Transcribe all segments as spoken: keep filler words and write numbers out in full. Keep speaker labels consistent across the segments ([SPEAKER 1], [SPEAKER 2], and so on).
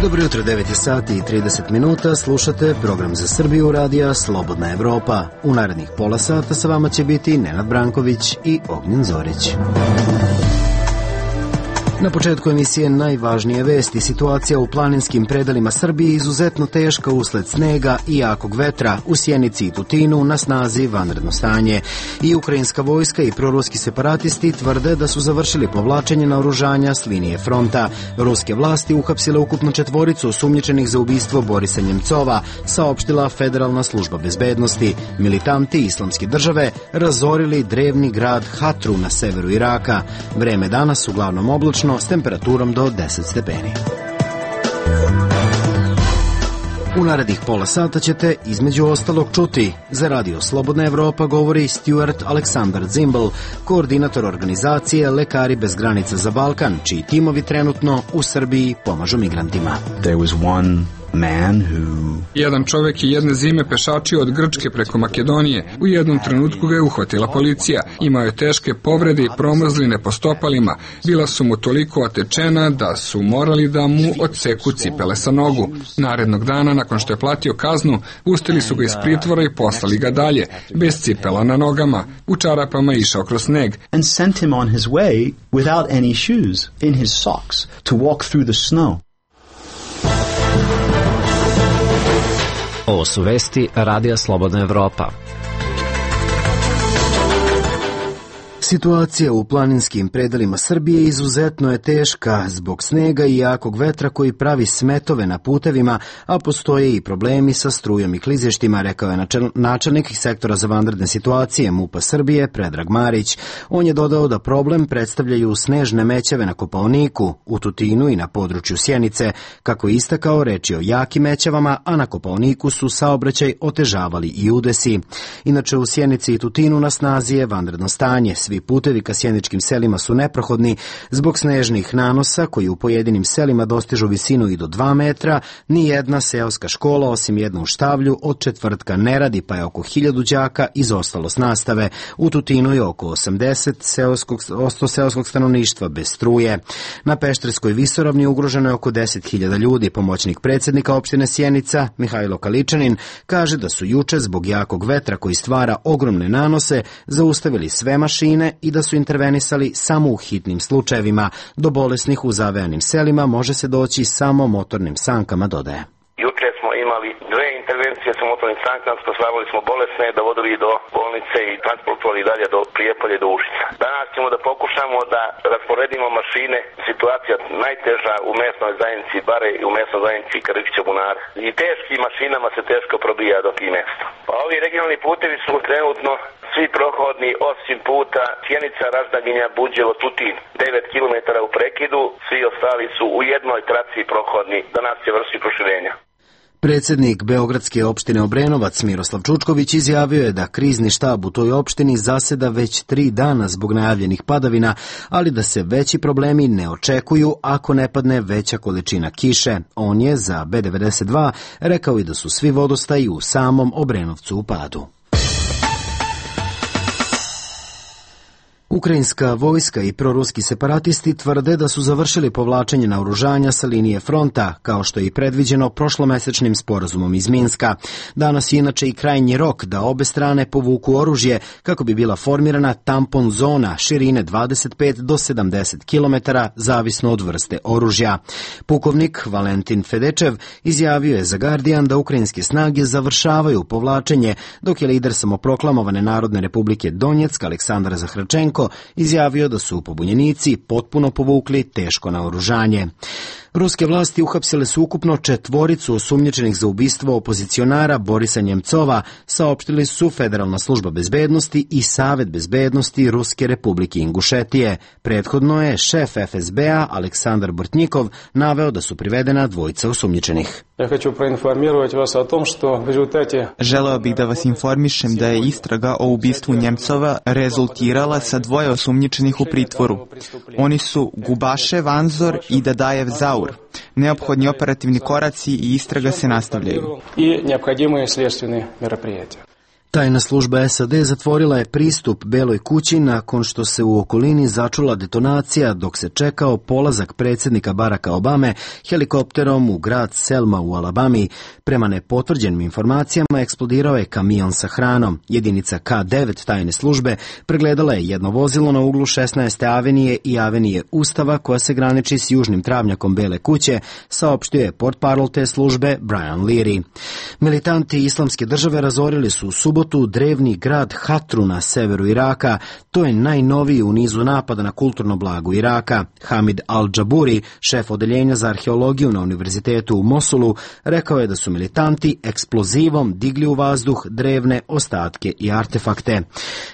[SPEAKER 1] Dobro jutro, devet je sati i trideset minuta, slušate program za Srbiju radija Slobodna Evropa. U narednih pola sata sa vama će biti Nenad Branković i Ognjen Zorić. Na početku emisije najvažnije vesti. Situacija u planinskim predelima Srbije izuzetno teška usled snega i jakog vetra. U Sjenici i Tutinu na snazi vanredno stanje. I ukrajinska vojska i proruski separatisti tvrde da su završili povlačenje naoružanja s linije fronta. Ruske vlasti uhapsile ukupno četvoricu osumnjičenih za ubistvo Borisa Njemcova, saopštila Federalna služba bezbednosti. Militanti Islamske države razorili drevni grad Hatru na severu Iraka. Vreme danas uglavnom oblačno s temperaturom do deset stepeni. U narednih pola sata ćete između ostalog čuti: za radio Slobodna Evropa govori Stuart Aleksandar Zimbel, koordinator organizacije Lekari bez granica za Balkan, čiji timovi trenutno u Srbiji pomažu migrantima.
[SPEAKER 2] There was one man who...
[SPEAKER 3] Jedan čovjek je jedne zime pešačio od Grčke preko Makedonije. U jednom trenutku ga je uhvatila policija. Imao je teške povrede i promrzline po stopalima. Bila su mu toliko otečena da su morali da mu odseku cipele sa nogu. Narednog dana, nakon što je platio kaznu, pustili su ga iz pritvora i poslali ga dalje, bez cipela na nogama. U čarapama išao kroz sneg.
[SPEAKER 2] And sent him on his way without any shoes, in his socks, to walk through the snow.
[SPEAKER 4] Ovo su vesti Radija Slobodna Evropa.
[SPEAKER 1] Situacija u planinskim predelima Srbije izuzetno je teška zbog snega i jakog vetra koji pravi smetove na putevima, a postoje i problemi sa strujom i klizištima, rekao je načelnik sektora za vanredne situacije MUP-a Srbije Predrag Marić. On je dodao da problem predstavljaju snežne mećave na Kopaoniku, u Tutinu i na području Sjenice. Kako je istakao, reč je o jakim mećavama, a na Kopaoniku su saobraćaj otežavali i udesi. Inače, u Sjenici i Tutinu na snazi je vanredno stanje. Svi putevi ka sjeničkim selima su neprohodni zbog snežnih nanosa koji u pojedinim selima dostižu visinu i do dva metra. Nijedna seoska škola, osim jednu u Štavlju, od četvrtka ne radi, pa je oko hiljadu đaka izostalo s nastave. U Tutinu je oko osamdeset seoskog, seoskog stanovništva bez struje. Na Pešterskoj visoravni ugroženo je oko deset hiljada ljudi. Pomoćnik predsjednika opštine Sjenica, Mihajlo Kaličanin, kaže da su juče zbog jakog vetra koji stvara ogromne nanose zaustavili sve mašine i da su intervenisali samo u hitnim slučajevima. Do bolesnih u zavejanim selima može se doći samo motornim sankama, dodaje.
[SPEAKER 5] Juče smo imali dve intervencije sa motornim sankama, spasavali smo bolesne, dovodili do bolnice i transportovali dalje do Prijepolja, do Užica. Danas ćemo da pokušamo da rasporedimo mašine. Situacija najteža u mesnoj zajednici Bare i u mesnoj zajednici Krkića Bunara. I teškim mašinama se teško probija do tih mesta. Pa ovi regionalni putevi su trenutno svi prohodni osim puta Sjenica, Raždaginja, Buđevo, Tutin, devet kilometara u prekidu, svi ostali su u jednoj traci prohodni, danas će vršiti proširenja.
[SPEAKER 1] Predsjednik Beogradske opštine Obrenovac Miroslav Čučković izjavio je da krizni štab u toj opštini zaseda već tri dana zbog najavljenih padavina, ali da se veći problemi ne očekuju ako ne padne veća količina kiše. On je za B devedeset dva rekao i da su svi vodostaji u samom Obrenovcu u padu. Ukrajinska vojska i proruski separatisti tvrde da su završili povlačenje naoružanja sa linije fronta, kao što je i predviđeno prošlomesečnim sporazumom iz Minska. Danas je inače i krajnji rok da obe strane povuku oružje kako bi bila formirana tampon zona širine dvadeset pet do sedamdeset kilometara, zavisno od vrste oružja. Pukovnik Valentin Fedečev izjavio je za Guardian da ukrajinske snage završavaju povlačenje, dok je lider samoproklamovane Narodne republike Donjeck Aleksandar Zahračenko izjavio da su pobunjenici potpuno povukli teško naoružanje. Ruske vlasti uhapsile su ukupno četvoricu osumnjičenih za ubistvo opozicionara Borisa Njemcova, saopštili su Federalna služba bezbednosti i Savet bezbednosti Ruske republike Ingušetije. Prethodno je šef F S B-a Aleksandar Bortnikov naveo da su privedena dvojica osumnjičenih.
[SPEAKER 6] Ja hoću proinformirati vas o tom što v rezultate...
[SPEAKER 7] Želeo bih da vas informišem da je istraga o ubistvu Njemcova rezultirala sa dvoje osumnjičenih u pritvoru. Oni su Gubašev Anzor i Dadajev Zaur. Neophodni operativni koraci i istraga se nastavljaju.
[SPEAKER 6] I neophodimые следственные мероприятия.
[SPEAKER 1] Tajna služba S A D zatvorila je pristup Beloj kući nakon što se u okolini začula detonacija dok se čekao polazak predsjednika Baracka Obame helikopterom u grad Selma u Alabami. Prema nepotvrđenim informacijama eksplodirao je kamion sa hranom. Jedinica K devet tajne službe pregledala je jedno vozilo na uglu šesnaeste avenije i avenije Ustava koja se graniči s južnim travnjakom Bele kuće, saopštio je portparol te službe Brian Leary. Militanti Islamske države razorili su u subotu drevni grad Hatru na severu Iraka. To je najnoviji u nizu napada na kulturno blago Iraka. Hamid Al-Džaburi, šef odeljenja za arheologiju na univerzitetu u Mosulu, rekao je da su militanti eksplozivom digli u vazduh drevne ostatke i artefakte.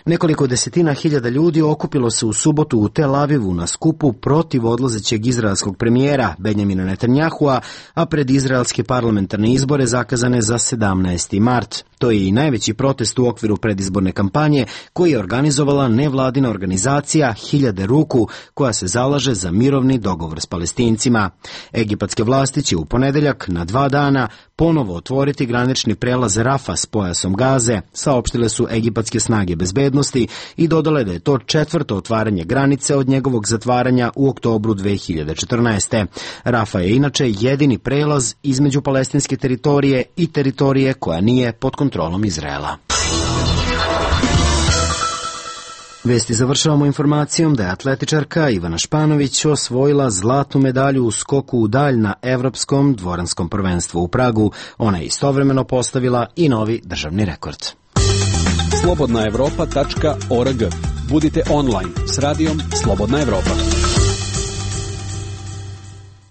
[SPEAKER 1] Nekoliko desetina hiljada ljudi okupilo se u subotu u Tel Avivu na skupu protiv odlazećeg izraelskog premijera Benjamina Netanyahua, a pred izraelske parlamentarne izbore zakazane za sedamnaesti mart. To je i najveći protest u okviru predizborne kampanje koji je organizovala nevladina organizacija Hiljade ruku koja se zalaže za mirovni dogovor s Palestincima. Egipatske vlasti će u ponedeljak na dva dana ponovo otvoriti granični prelaz Rafa s pojasom Gaze, saopštile su egipatske snage bezbednosti i dodale da je to četvrto otvaranje granice od njegovog zatvaranja u oktobru dve hiljade četrnaeste. Rafa je inače jedini prelaz između palestinske teritorije i teritorije koja nije pod kontrolom Izraela. Vesti završavamo informacijom da je atletičarka Ivana Španović osvojila zlatnu medalju u skoku u dalj na Evropskom dvoranskom prvenstvu u Pragu. Ona je istovremeno postavila i novi državni rekord.
[SPEAKER 8] slobodna evropa tačka org. Budite online s radijom Slobodna Evropa.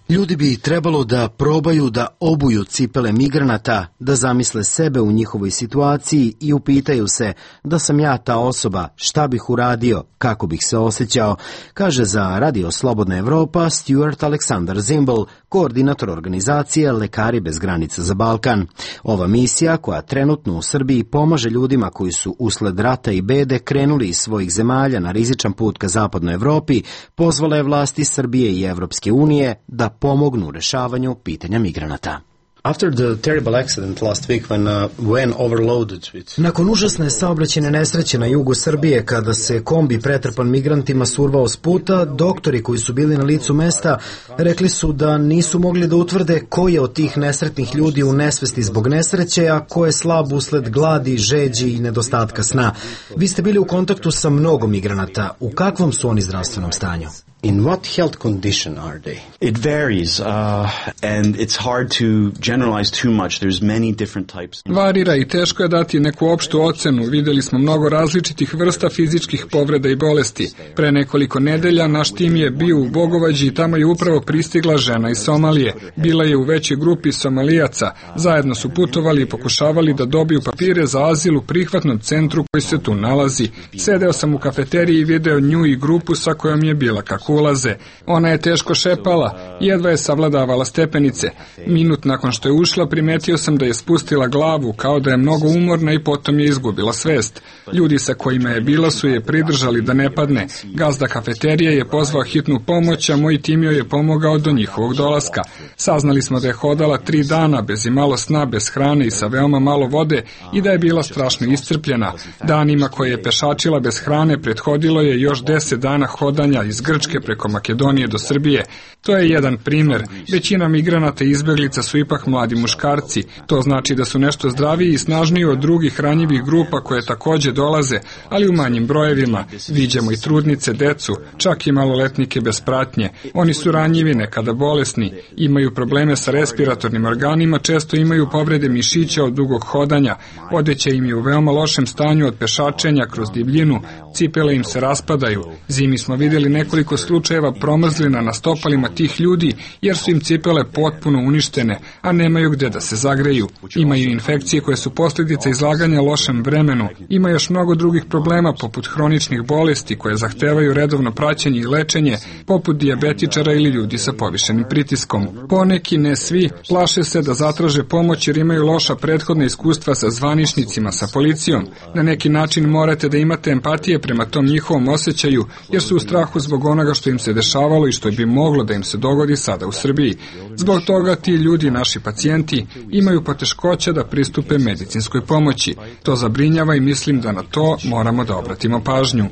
[SPEAKER 1] Ljudi bi trebalo da probaju da obuju cipele migranata, da zamisle sebe u njihovoj situaciji i upitaju se da sam ja ta osoba, šta bih uradio, kako bih se osjećao, kaže za Radio Slobodna Evropa Stuart Aleksandar Zimbel, koordinator organizacije Lekari bez granica za Balkan. Ova misija, koja trenutno u Srbiji pomaže ljudima koji su usled rata i bede krenuli iz svojih zemalja na rizičan put ka zapadnoj Evropi, pozvala je vlasti Srbije i Evropske unije da pomognu u rešavanju pitanja migranata.
[SPEAKER 9] After the terrible accident last week when uh, when overloaded with...
[SPEAKER 1] Nakon užasne saobraćajne nesreće na jugu Srbije kada se kombi pretrpan migrantima survao s puta, doktori koji su bili na licu mesta rekli su da nisu mogli da utvrde ko je od tih nesretnih ljudi u nesvesti zbog nesreće, a ko je slab usled gladi, žeđi i nedostatka sna. Vi ste bili u kontaktu sa mnogo migranata. U kakvom su oni zdravstvenom stanju?
[SPEAKER 9] In what health condition are they?
[SPEAKER 2] It varies, uh, and it's hard to generalize too much. There's many different types.
[SPEAKER 3] Varira i teško je dati neku opštu ocenu. Videli smo mnogo različitih vrsta fizičkih povreda i bolesti. Pre nekoliko nedelja naš tim je bio u Bogovađi i tamo je upravo pristigla žena iz Somalije. Bila je u većoj grupi Somalijaca. Zajedno su putovali i pokušavali da dobiju papire za azil u prihvatnom centru koji se tu nalazi. Sedeo sam u kafeteriji i video nju i grupu sa kojom je bila kako ulaze. Ona je teško šepala, jedva je savladavala stepenice. Minut nakon što je ušla, primetio sam da je spustila glavu, kao da je mnogo umorna i potom je izgubila svest. Ljudi sa kojima je bila su je pridržali da ne padne. Gazda kafeterije je pozvao hitnu pomoć, a moj tim joj je pomogao do njihovog dolaska. Saznali smo da je hodala tri dana, bez imalo sna, bez hrane i sa veoma malo vode i da je bila strašno iscrpljena. Danima koje je pešačila bez hrane prethodilo je još deset dana hodanja iz Grčke preko Makedonije do Srbije. To je jedan primer. Većina migranata i izbeglica su ipak mladi muškarci. To znači da su nešto zdraviji i snažniji od drugih ranjivih grupa koje takođe dolaze, ali u manjim brojevima. Viđamo i trudnice, decu, čak i maloletnike bez pratnje. Oni su ranjivi, nekada bolesni, imaju probleme sa respiratornim organima, često imaju povrede mišića od dugog hodanja. Odeća im je u veoma lošem stanju od pešačenja kroz divljinu, cipele im se raspadaju. Zimi smo vidjeli nekoliko slučajeva promrzlina na stopalima tih ljudi, jer su im cipele potpuno uništene, a nemaju gde da se zagreju. Imaju infekcije koje su posljedica izlaganja lošem vremenu. Ima još mnogo drugih problema, poput hroničnih bolesti koje zahtevaju redovno praćenje i lečenje, poput dijabetičara ili ljudi sa povišenim pritiskom. Poneki, ne svi, plaše se da zatraže pomoć jer imaju loša prethodna iskustva sa zvaničnicima, sa policijom. Na neki način morate da imate empatije prema tom njihovom osjećaju, jer su u strahu zbog onoga što što im se dešavalo i što bi moglo da im se dogodi sada u Srbiji. Zbog toga ti ljudi, naši pacijenti, imaju poteškoća da pristupe medicinskoj pomoći. To zabrinjava i mislim da na to moramo da obratimo pažnju.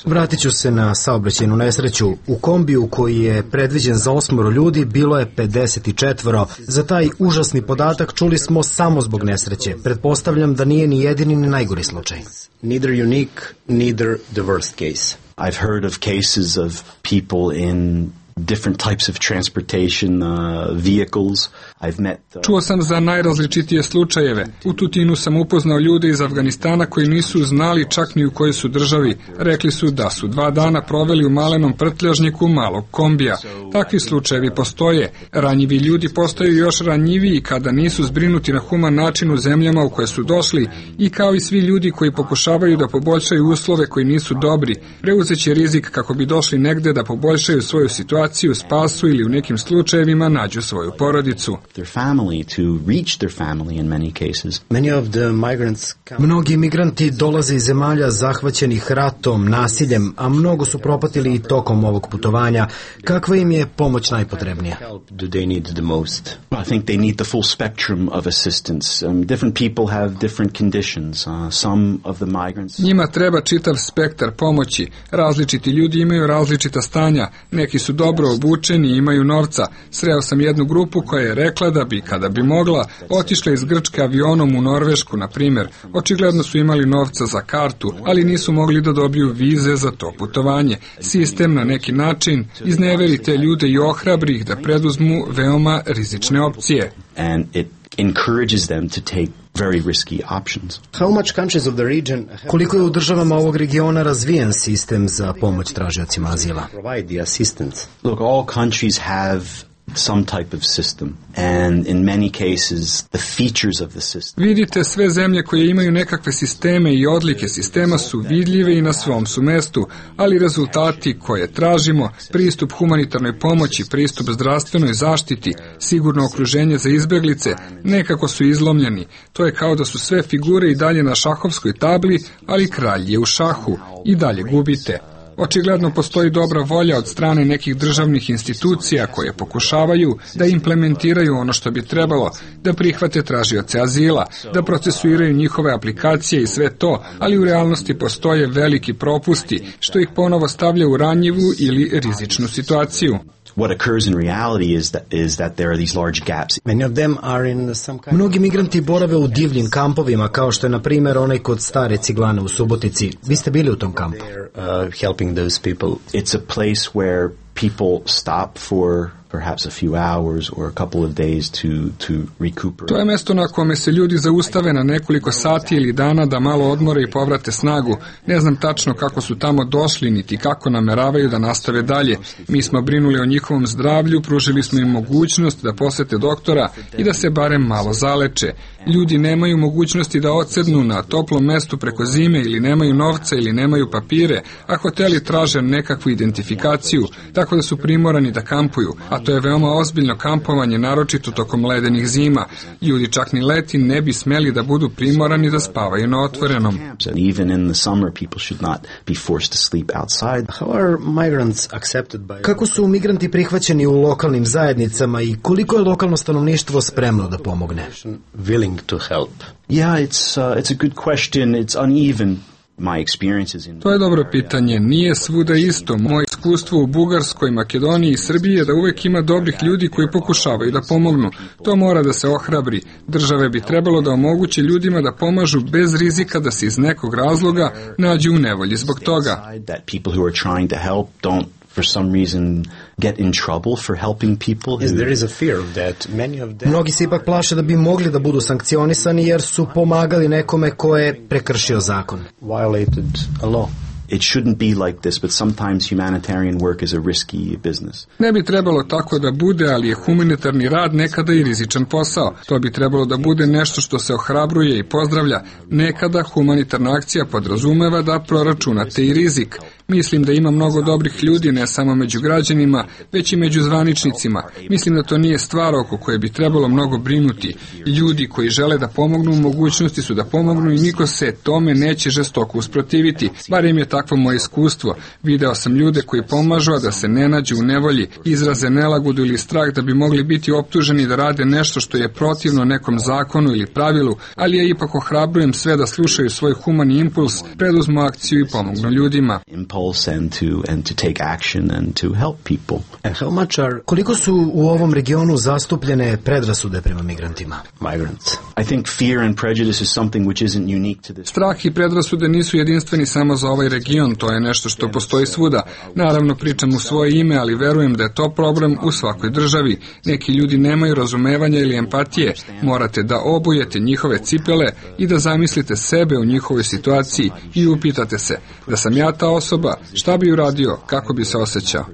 [SPEAKER 1] Vratit ću se na saobraćajnu nesreću. U kombiju koji je predviđen za osmoro ljudi bilo je pedeset četiri. Za taj užasni podatak čuli smo samo zbog nesreće. Pretpostavljam da nije ni jedini ni najgori slučaj.
[SPEAKER 9] Neither unique, neither the worst case.
[SPEAKER 2] I've heard of cases of people in different types of transportation uh, vehicles. I've met uh...
[SPEAKER 3] Čuo sam za najrazličitije slučajeve. U Tutinu sam upoznao ljude iz Afganistana koji nisu znali čak ni u kojoj su državi. Rekli su da su dva dana proveli u malenom prtljažniku malog kombija. Takvi slučajevi postoje. Ranjivi ljudi postaju još ranjiviji kada nisu zbrinuti na human način u zemljama u koje su došli i kao i svi ljudi koji pokušavaju da poboljšaju uslove koji nisu dobri, preuzeće rizik kako bi došli negde da poboljšaju svoju situaciju, spasu ili u nekim slučajevima nađu svoju porodicu.
[SPEAKER 1] Mnogi imigranti dolaze iz zemalja zahvaćenih ratom, nasiljem, a mnogo su propatili i tokom ovog putovanja. Kakva im je pomoć najpotrebnija?
[SPEAKER 2] I think they need the full spectrum of assistance. Um, different people have different conditions. Uh, some of the migrants...
[SPEAKER 3] Njima treba čitav spektar pomoći. Različiti ljudi imaju različita stanja. Neki su dobro obučeni i imaju novca. Sreo sam jednu grupu koja je rekla da bi, kada bi mogla, otišla iz Grčke avionom u Norvešku, na primjer. Očigledno su imali novca za kartu, ali nisu mogli da dobiju vize za to putovanje. Sistem na neki način izneveri te ljude i ohrabri ih da preduzmu veoma rizične opcije.
[SPEAKER 2] And it encourages them to take very risky options.
[SPEAKER 1] How much countries of the region... Koliko je u državama ovog regiona razvijen sistem za pomoć tražiocima azila?
[SPEAKER 9] Provide the assistance.
[SPEAKER 2] Look, all countries have some type of system, and in many cases the features of the system.
[SPEAKER 3] Vidite, sve zemlje koje imaju nekakve sisteme i odlike sistema su vidljive i na svom su mestu, ali rezultati koje tražimo, pristup humanitarnoj pomoći, pristup zdravstvenoj zaštiti, sigurno okruženje za izbeglice, nekako su izlomljeni. To je kao da su sve figure i dalje na šahovskoj tabli, ali kralj je u šahu i dalje gubite. Očigledno postoji dobra volja od strane nekih državnih institucija koje pokušavaju da implementiraju ono što bi trebalo, da prihvate tražioce azila, da procesuiraju njihove aplikacije i sve to, ali u realnosti postoje veliki propusti, što ih ponovo stavlja u ranjivu ili rizičnu situaciju.
[SPEAKER 2] What occurs in reality is that is that there are these large gaps.
[SPEAKER 1] Many of them are in some kind... Mnogi migranti borave u divljim kampovima, kao što je na primjer onaj kod Stare Ciglane u Subotici. Vi ste bili u tom kampu.
[SPEAKER 9] Uh, helping those people.
[SPEAKER 2] It's a place where people stop for perhaps a few hours or a couple of days to to recuperate.
[SPEAKER 3] To je mesto na kome se ljudi zaustave na nekoliko sati ili dana da malo odmore i povrate snagu. Ne znam tačno kako su tamo došli, niti kako nameravaju da nastave dalje. Mi smo brinuli o njihovom zdravlju, pružili smo im mogućnost da posete doktora i da se barem malo zaleče. Ljudi nemaju mogućnosti da odsednu na toplom mestu preko zime ili nemaju novca ili nemaju papire, a hoteli traže nekakvu identifikaciju, tako da su primorani da kampuju, a to je veoma ozbiljno kampovanje, naročito tokom ledenih zima. Ljudi čak ni leti ne bi smeli da budu primorani da spavaju na otvorenom.
[SPEAKER 1] Kako su migranti prihvaćeni u lokalnim zajednicama i koliko je lokalno stanovništvo spremno da pomogne?
[SPEAKER 9] Willing to help.
[SPEAKER 2] Yeah, it's uh, it's a good question. It's uneven. My experiences in...
[SPEAKER 3] To je dobro pitanje. Nije svuda isto. Moje iskustvo u Bugarskoj, Makedoniji i Srbiji je da uvek ima dobrih ljudi koji pokušavaju da pomognu. To mora da se ohrabri. Države bi trebalo da omoguće ljudima da pomažu bez rizika da se iz nekog razloga nađu u nevolji zbog toga.
[SPEAKER 2] For some reason get in trouble for helping people.
[SPEAKER 9] Yes, there is a fear of that. Many of them...
[SPEAKER 1] Mnogi se ipak plaše da bi mogli da budu sankcionisani jer su pomagali nekome ko je prekršio zakon.
[SPEAKER 9] Violated a law.
[SPEAKER 2] It shouldn't be like this, but sometimes humanitarian work is a risky business.
[SPEAKER 3] Ne bi trebalo tako da bude, ali je humanitarni rad nekada i rizičan posao. To bi trebalo da bude nešto što se ohrabruje i pozdravlja. Nekada humanitarna akcija podrazumeva da proračunate i rizik. Mislim da ima mnogo dobrih ljudi, ne samo među građanima, već i među zvaničnicima. Mislim da to nije stvar oko koje bi trebalo mnogo brinuti. Ljudi koji žele da pomognu u mogućnosti su da pomognu i niko se tome neće žestoko usprotiviti. Barem je takvo moje iskustvo. Video sam ljude koji pomažu, a da se ne nađu u nevolji, izraze nelagodu ili strah da bi mogli biti optuženi da rade nešto što je protivno nekom zakonu ili pravilu, ali ja ipak ohrabrujem sve da slušaju svoj humani impuls, preduzmu akciju i pomognu ljudima.
[SPEAKER 1] Koliko su u ovom regionu zastupljene predrasude prema migrantima?
[SPEAKER 3] Strah i predrasude nisu jedinstveni samo za ovaj region, to je nešto što postoji svuda. Naravno pričam u svoje ime, ali verujem da je to problem u svakoj državi. Neki ljudi nemaju razumevanja ili empatije. Morate da obujete njihove cipele i da zamislite sebe u njihovoj situaciji i upitate se, da sam ja ta osoba, šta bi uradio, kako bi se osjećao.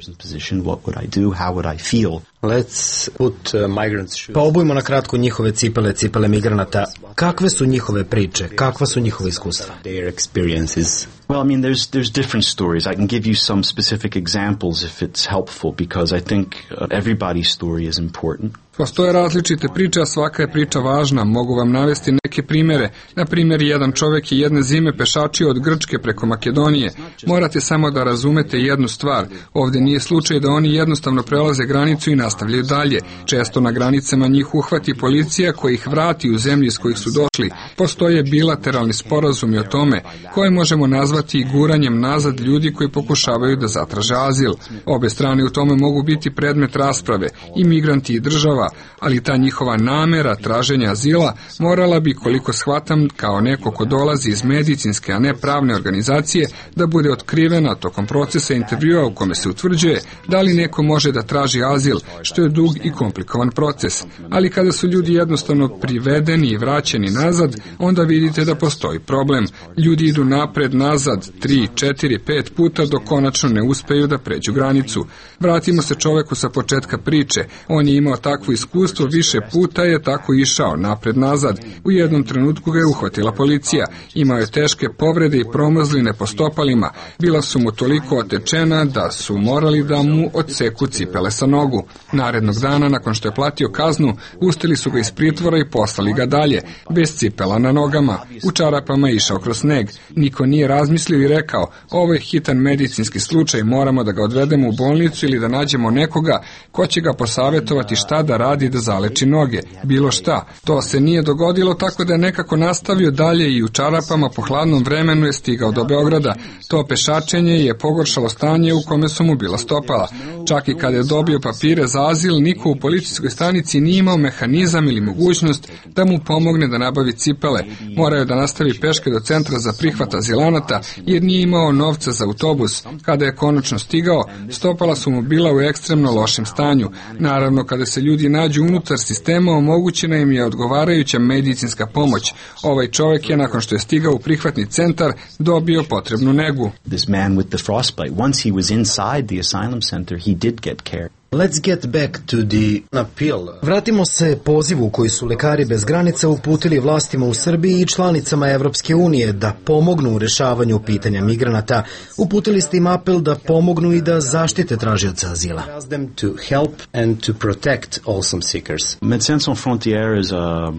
[SPEAKER 9] Let's put uh, migrants shoes.
[SPEAKER 1] Pa obujmo na kratko njihove cipele, cipele migranata. Kakve su njihove priče? Kakva su njihove iskustva?
[SPEAKER 9] Their experiences.
[SPEAKER 2] Well, I mean, there's there's different stories. I can give you some specific examples if it's helpful, because I think uh, everybody's story is important.
[SPEAKER 3] Postoje različite priče, a svaka je priča važna. Mogu vam navesti neke primere. Na primjer, jedan čovjek je jedne zime pešačio od Grčke preko Makedonije. Morate samo da razumete jednu stvar. Ovdje nije slučaj da oni jednostavno prelaze granicu i nastavljaju dalje. Često na granicama njih uhvati policija koja ih vrati u zemlji iz kojih su došli. Postoje bilateralni sporazumi o tome, koje možemo nazvati i guranjem nazad ljudi koji pokušavaju da zatraže azil. Obe strane u tome mogu biti predmet rasprave, i migranti i država, ali ta njihova namera traženja azila morala bi, koliko shvatam, kao neko ko dolazi iz medicinske, a ne pravne organizacije, da bude otkrivena tokom procesa intervjua u kome se utvrđuje da li neko može da traži azil, što je dug i komplikovan proces. Ali kada su ljudi jednostavno privedeni i vraćeni nazad, onda vidite da postoji problem. Ljudi idu napred, nazad, tri, četiri, pet puta dok konačno ne uspeju da pređu granicu. Vratimo se čoveku sa početka priče. On je imao takvo iskustvo, više puta je tako išao napred-nazad. U jednom trenutku ga je uhvatila policija. Imao je teške povrede i promrzline po stopalima. Bila su mu toliko otečena da su morali da mu odseku cipele sa nogu. Narednog dana, nakon što je platio kaznu, pustili su ga iz pritvora i poslali ga dalje, bez cipela na nogama. U čarapama je išao kroz sneg. Niko nije razmislio i rekao, ovo je hitan medicinski slučaj, moramo da ga odvedemo u bolnicu ili da nađemo nekoga ko će ga posavjetovati šta da radi da zaleči noge, bilo šta. To se nije dogodilo, tako da je nekako nastavio dalje i u čarapama po hladnom vremenu je stigao do Beograda. To pešačenje je pogoršalo stanje u kome su mu bila stopala. Čak i kada je dobio papire za azil, niko u policijskoj stanici nije imao mehanizam ili mogućnost da mu pomogne da nabavi cipele. Morao je da nastavi peške do centra za prihvat azilanata jer nije imao novca za autobus. Kada je konačno stigao, stopala su mu bila u ekstremno lošem stanju. Naravno, kada se ljudi nađu unutar sistema, omogućena im je odgovarajuća medicinska pomoć. Ovaj čovjek je, nakon što je stigao u prihvatni centar, dobio potrebnu negu.
[SPEAKER 2] This man with the frostbite, once he was inside the asylum center, he did get care.
[SPEAKER 1] Let's get back to the appeal. Vratimo se pozivu koji su Lekari bez granica uputili vlastima u Srbiji i članicama Evropske unije da pomognu u rešavanju pitanja migranata. Uputili ste im apel da pomognu i da zaštite tražioca azila.
[SPEAKER 9] To help and to protect asylum seekers.
[SPEAKER 2] Médecins Sans Frontières is a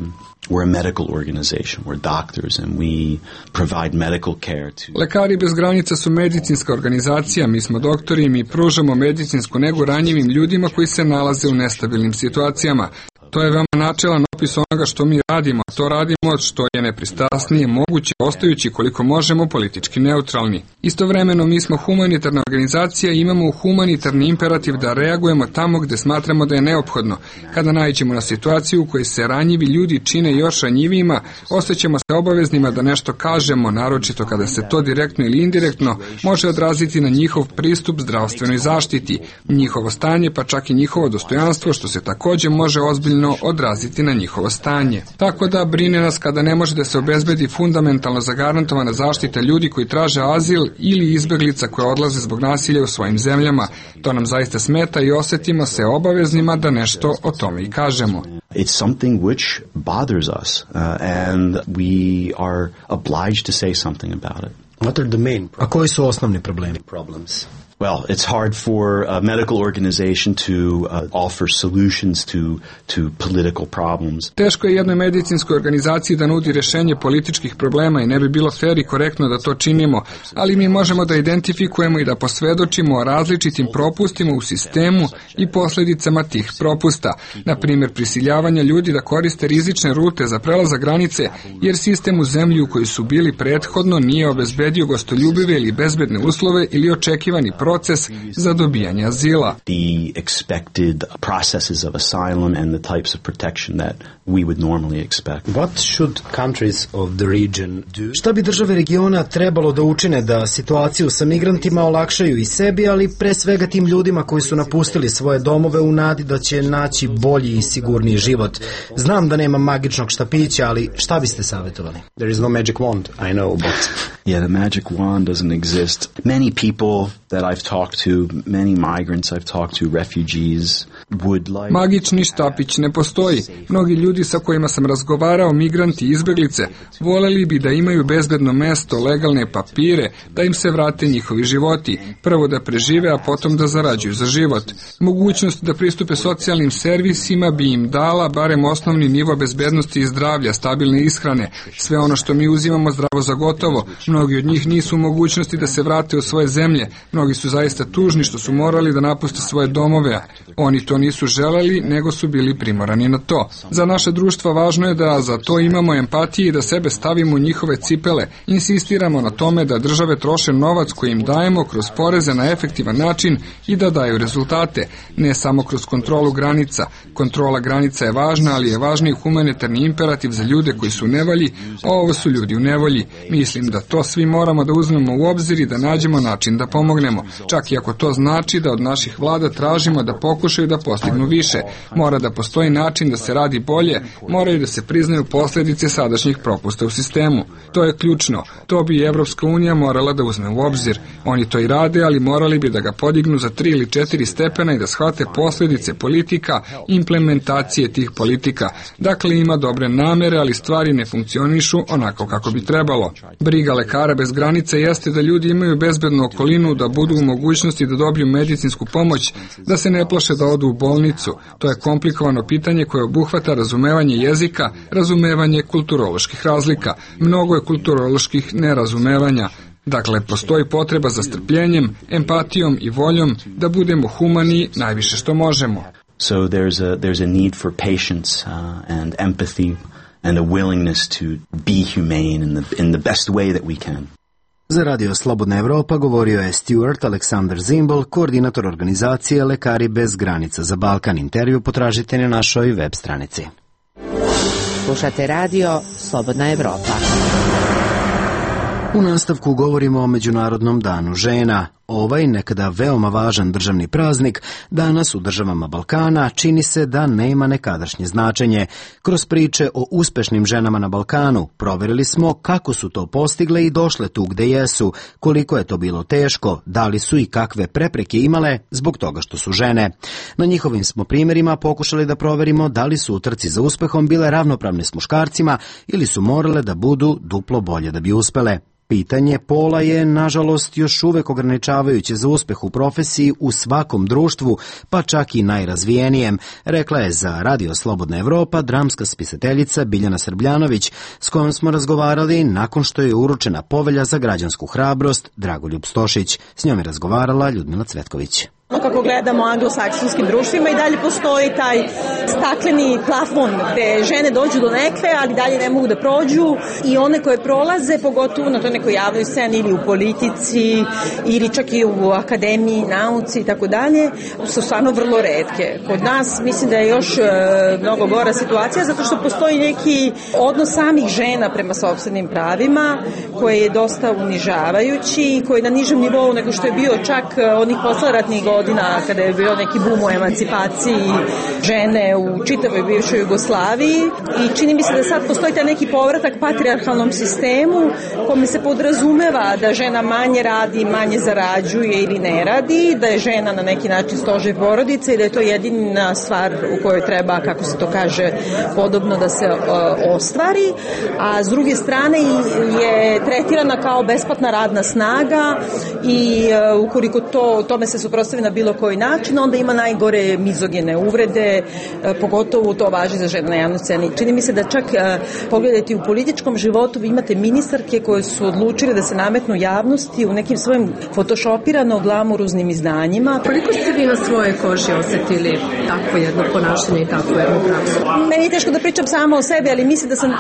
[SPEAKER 2] We're a medical organization, we're doctors and we provide medical care to...
[SPEAKER 3] Lekari bez granica su medicinska organizacija, mi smo doktori i mi pružamo medicinsku negu ranjivim ljudima koji se nalaze u nestabilnim situacijama. To je veoma načelan opis onoga što mi radimo, a to radimo što je nepristrasnije moguće, ostajući koliko možemo politički neutralni. Istovremeno mi smo humanitarna organizacija i imamo humanitarni imperativ da reagujemo tamo gde smatramo da je neophodno. Kada naiđemo na situaciju u kojoj se ranjivi ljudi čine još ranjivijima, osjećamo se obaveznima da nešto kažemo, naročito kada se to direktno ili indirektno može odraziti na njihov pristup zdravstvenoj zaštiti, njihovo stanje pa čak i njihovo dostojanstvo, što se također može ozbiljno odraziti na njihovo stanje. Tako da brine nas kada ne može da se obezbedi fundamentalno zagarantovana zaštita ljudi koji traže azil ili izbeglica koje odlaze zbog nasilja u svojim zemljama. To nam zaista smeta i osjetimo se obaveznima da nešto o tome i kažemo.
[SPEAKER 2] It's something which bothers us uh, and we are obliged to say something about it.
[SPEAKER 9] What are the main
[SPEAKER 1] A koji su osnovni problemi?
[SPEAKER 9] problems?
[SPEAKER 2] Well, it's hard for a medical organization to uh, offer solutions to to political problems.
[SPEAKER 3] Teško je jednoj medicinskoj organizaciji da nudi rešenje političkih problema i ne bi bilo fer i korektno da to činimo, ali mi možemo da identifikujemo i da posvedočimo o različitim propustima u sistemu i posledicama tih propusta. Na primjer, prisiljavanja ljudi da koriste rizične rute za prelazak granice, jer sistem u zemlji u kojoj su bili prethodno nije obezbedio gostoljubive ili bezbedne uslove ili očekivani proces za dobijanje azila.
[SPEAKER 2] The expected processes of asylum and the types of protection that we would normally expect.
[SPEAKER 9] What should countries of the region do?
[SPEAKER 1] Šta bi države regiona trebalo da učine da situaciju sa migrantima olakšaju i sebi, ali pre svega tim ljudima koji su napustili svoje domove u nadi da će naći bolji i sigurniji život? Znam da nema magičnog štapića, ali šta biste savjetovali?
[SPEAKER 9] There is no magic wand, I know, but...
[SPEAKER 2] Yeah, the magic wand doesn't exist. Many people that I've talked to, many migrants I've talked to, refugees, would like...
[SPEAKER 3] Magični štapić ne postoji. Mnogi ljudi sa kojima sam razgovarao, migranti i izbeglice, voleli bi da imaju bezbedno mesto, legalne papire, da im se vrate njihovi životi. Prvo da prežive, a potom da zarađuju za život. Mogućnost da pristupe socijalnim servisima bi im dala barem osnovni nivo bezbednosti i zdravlja, stabilne ishrane, sve ono što mi uzimamo zdravo za gotovo. Mnogi od njih nisu u mogućnosti da se vrate u svoje zemlje. Mnogi su zaista tužni što su morali da napuste svoje domove. Oni to nisu želeli, nego su bili primorani na to. Za naše društvo važno je da za to imamo empatije i da sebe stavimo u njihove cipele. Insistiramo na tome da države troše novac koji im dajemo kroz poreze na efektivan način i da daju rezultate, ne samo kroz kontrolu granica. Kontrola granica je važna, ali je važniji humanitarni imperativ za ljude koji su u nevolji, a ovo su ljudi u nevolji. Mislim da to svi moramo da uzmemo u obzir i da nađemo način da pomognemo, čak i ako to znači da od naših vlada tražimo da pokušaju da postignu više. Mora da postoji način da se radi bolje, moraju da se priznaju posljedice sadašnjih propusta u sistemu. To je ključno. To bi i Evropska unija morala da uzme u obzir. Oni to i rade, ali morali bi da ga podignu za tri ili četiri stepena i da shvate posljedice politika, implementacije tih politika. Dakle, ima dobre namere, ali stvari ne funkcionišu onako kako bi trebalo. Briga lekara bez granice jeste da ljudi imaju bezbednu okolinu, da budu u mogućnosti da dobiju medicinsku pomoć, da se ne plaše da odu u bolnicu. To je komplikovano pitanje koje obuhvata razumevanje jezika, razumevanje kulturoloških razlika. Mnogo je kulturoloških nerazumevanja. Dakle, postoji potreba za strpljenjem, empatijom i voljom da budemo humani najviše što možemo.
[SPEAKER 2] So there's a there's a need for patience uh, and empathy and a willingness to be humane in the in the best way that we can.
[SPEAKER 1] Za Radio Slobodna Evropa govorio je Stuart Aleksandar Zimbol, koordinator organizacije Lekari bez granica za Balkan. Intervju potražite na našoj web stranici.
[SPEAKER 10] Slušate Radio Slobodna Evropa.
[SPEAKER 1] U nastavku govorimo o Međunarodnom danu žena. Ovaj nekada veoma važan državni praznik danas u državama Balkana čini se da nema nekadašnje značenje. Kroz priče o uspešnim ženama na Balkanu proverili smo kako su to postigle i došle tu gde jesu, koliko je to bilo teško, da li su i kakve prepreke imale zbog toga što su žene. Na njihovim smo primjerima pokušali da proverimo da li su u trci za uspehom bile ravnopravne s muškarcima ili su morale da budu duplo bolje da bi uspele. Pitanje pola je, nažalost, još uvek ograničavajuće za uspeh u profesiji u svakom društvu, pa čak i najrazvijenijem, rekla je za Radio Slobodna Evropa dramska spisateljica Biljana Srbljanović, s kojom smo razgovarali nakon što je uručena povelja za građansku hrabrost Dragoljub Stošić. S njom je razgovarala Ljudmila Cvetković.
[SPEAKER 11] Kako gledamo anglosaksonskim društvima i dalje postoji taj stakleni plafon gde žene dođu do nekve, ali dalje ne mogu da prođu i one koje prolaze, pogotovo na toj nekoj javnoj sceni ili u politici ili čak i u akademiji, nauci i tako dalje, su stvarno vrlo retke. Kod nas mislim da je još e, mnogo gora situacija zato što postoji neki odnos samih žena prema sopstvenim pravima koji je dosta unižavajući i koji je na nižem nivou nego što je bio čak onih posleratnih godina godina kada je bio neki bum u emancipaciji žene u čitavoj bivšoj Jugoslaviji i čini mi se da sad postoji taj neki povratak patrijarhalnom sistemu kome se podrazumeva da žena manje radi, manje zarađuje ili ne radi, da je žena na neki način stožer porodice i da je to jedina stvar u kojoj treba, kako se to kaže, podobno da se uh, ostvari, a s druge strane je tretirana kao besplatna radna snaga i uh, ukoliko to, tome se suprotstavi na bilo koji način, onda ima najgore mizogene uvrede, uh, pogotovo to važi za žene na javnoj sceni. Čini mi se da čak uh, pogledajte u političkom životu vi imate ministarke koje su odlučile da se nametnu javnosti u nekim svojim photoshopirano glamuruznim izdanjima.
[SPEAKER 12] Koliko ste vi na svojoj koži osetili takvo jedno ponašanje i takvu jednu praksu?
[SPEAKER 11] Meni je teško da pričam samo o sebi, ali mislim da sam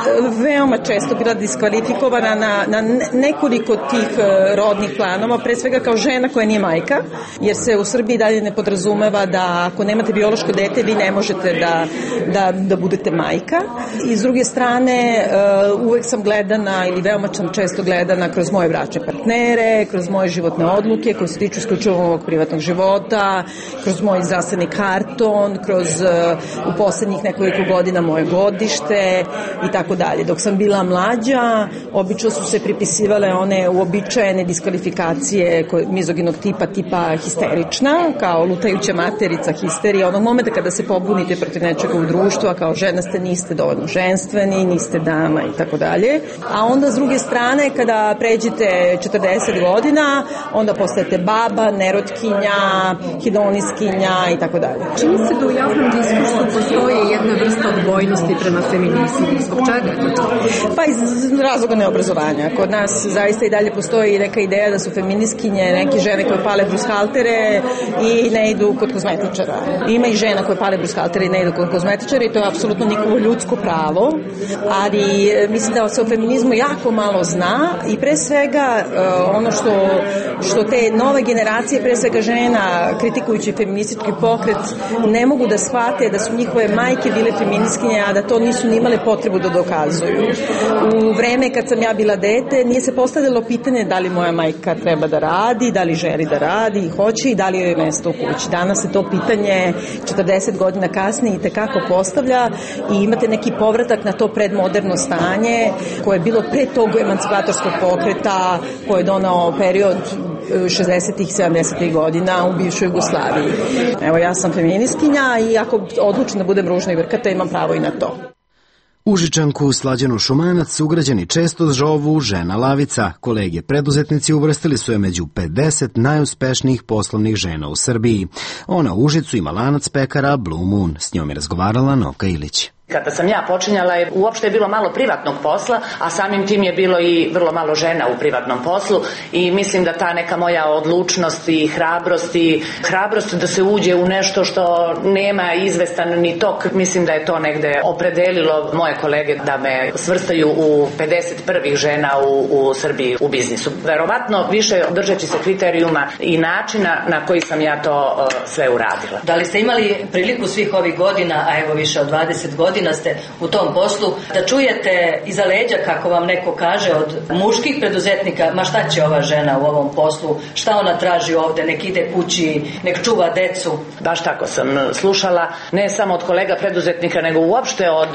[SPEAKER 11] veoma često bila diskvalifikovana na, na nekoliko tih rodnih planova, pre svega kao žena koja nije majka, jer se u Srbiji dalje ne podrazumeva da ako nemate biološko dete vi ne možete da, da, da budete majka. I s druge strane uvek sam gledana ili veoma sam često gledana kroz moje bračne partnere, kroz moje životne odluke koje se tiču isključivo ovog privatnog života, kroz moj zdravstveni karton, kroz u poslednjih nekoliko godina moje godište i tako dalje. Dok sam bila mlađa, obično su se pripisivale one uobičajene diskvalifikacije mizoginog tipa, tipa histerična, kao lutajuća materica, histerija, onog momenta kada se pobunite protiv nečega u društvu, a kao žena ste, niste dovoljno ženstveni, niste dama i tako dalje. A onda s druge strane, kada pređete četrdeset godina, onda postajete baba, nerotkinja, hedoniskinja i tako dalje.
[SPEAKER 12] Čini se da u javnom diskursu postoji jedna vrsta odbojnosti prema feminizmu. Zbog čega?
[SPEAKER 11] Pa iz razloga neobrazovanja. Kod nas zaista i dalje postoji neka ideja da su feminiskinje neke žene koje pale brushaltere i ne idu kod kozmetičara. Ima i žena koje pale brushaltere i ne idu kod kozmetičara i to je apsolutno njihovo ljudsko pravo, ali mislim da se o feminizmu jako malo zna i pre svega ono što, što te nove generacije, pre svega žena, kritikujući feministički pokret, ne mogu da shvate da su njihove majke bile feminiskinje, a da to nisu ni imale potrebu da dokazuju. U vreme kad sam ja bila dete, nije se postavljalo pitanje da li moja majka treba da radi, da li želi da radi i hoće i da li joj je mesto u kući. Danas se to pitanje četrdeset godina kasnije i tekako postavlja i imate neki povratak na to predmoderno stanje koje je bilo pre tog emancipatorskog pokreta koje je donao period šezdesetih i sedamdesetih godina u bivšoj Jugoslaviji. Evo, ja sam feminiskinja i ako odlučim da budem ružna i vrkata, imam pravo i na to.
[SPEAKER 1] Užičanku Slađanu Šumanac sugrađani često zovu žena lavica. Kolege preduzetnici uvrstili su je među pedeset najuspešnijih poslovnih žena u Srbiji. Ona u Užicu ima lanac pekara Blue Moon. S njom je razgovarala Noka Ilić.
[SPEAKER 13] Kada sam ja počinjala, uopšte je bilo malo privatnog posla, a samim tim je bilo i vrlo malo žena u privatnom poslu i mislim da ta neka moja odlučnost i hrabrost i hrabrost da se uđe u nešto što nema izvestan ni tok, mislim da je to negde opredelilo moje kolege da me svrstaju u pedeset prvih žena u, u Srbiji u biznisu. Verovatno više držeći se kriterijuma i načina na koji sam ja to uh, sve uradila.
[SPEAKER 14] Da li ste imali priliku svih ovih godina, a evo više od dvadeset godina ste u tom poslu, da čujete iza leđa, kako vam neko kaže, od muških preduzetnika, ma šta će ova žena u ovom poslu, šta ona traži ovde, nek ide kući, nek čuva decu?
[SPEAKER 13] Baš tako sam slušala, ne samo od kolega preduzetnika, nego uopšte od,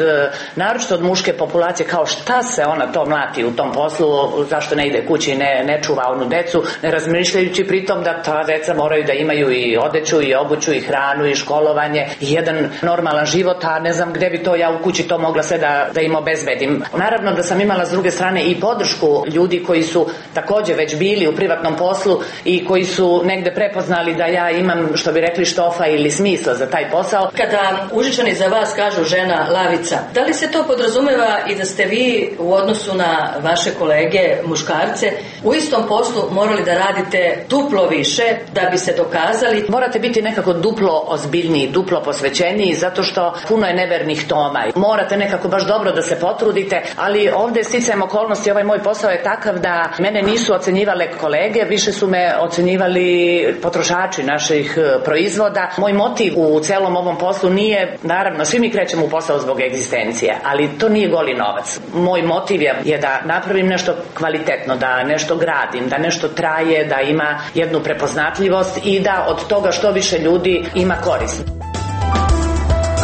[SPEAKER 13] naročito od muške populacije, kao šta se ona to mlati u tom poslu, zašto ne ide kući, ne, ne čuva onu decu, ne razmišljajući pritom da ta deca moraju da imaju i odeću, i obuću, i hranu, i školovanje, i jedan normalan život, a ne znam gde bi to ja u kući to mogla sve da, da im obezbedim. Naravno da sam imala s druge strane i podršku ljudi koji su takođe već bili u privatnom poslu i koji su negde prepoznali da ja imam, što bi rekli, štofa ili smisla za taj posao.
[SPEAKER 14] Kada Užičani za vas kažu žena lavica, da li se to podrazumeva i da ste vi u odnosu na vaše kolege muškarce u istom poslu morali da radite duplo više da bi se dokazali?
[SPEAKER 13] Morate biti nekako duplo ozbiljniji, duplo posvećeniji, zato što puno je nevernih tona karcinoma. Morate nekako baš dobro da se potrudite, ali ovde sticajem okolnosti, ovaj moj posao je takav da mene nisu ocenjivale kolege, više su me ocenjivali potrošači naših proizvoda. Moj motiv u celom ovom poslu nije, naravno, svi mi krećemo u posao zbog egzistencije, ali to nije goli novac. Moj motiv je, je da napravim nešto kvalitetno, da nešto gradim, da nešto traje, da ima jednu prepoznatljivost i da od toga što više ljudi ima korist.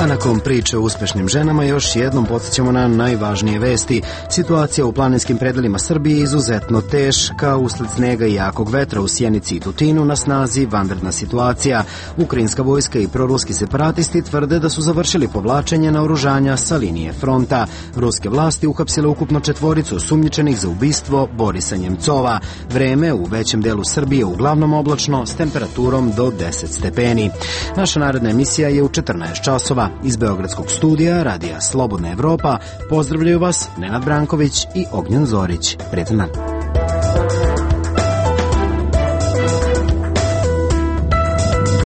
[SPEAKER 1] A nakon priče o uspešnim ženama još jednom podsjećamo na najvažnije vesti. Situacija u planinskim predelima Srbije je izuzetno teška. Usled snega i jakog vetra u Sjenici i Tutinu na snazi vanredna situacija. Ukrajinska vojska i proruski separatisti tvrde da su završili povlačenje naoružanja sa linije fronta. Ruske vlasti uhapsile ukupno četvoricu osumnjičenih za ubistvo Borisa Njemcova. Vreme u većem delu Srbije uglavnom oblačno s temperaturom do deset stepeni. Naša naredna emisija je u četrnaest časova. Iz Beogradskog studija Radija Slobodna Evropa pozdravljaju vas Nenad Branković i Ognjen Zorić. Prijetan dan.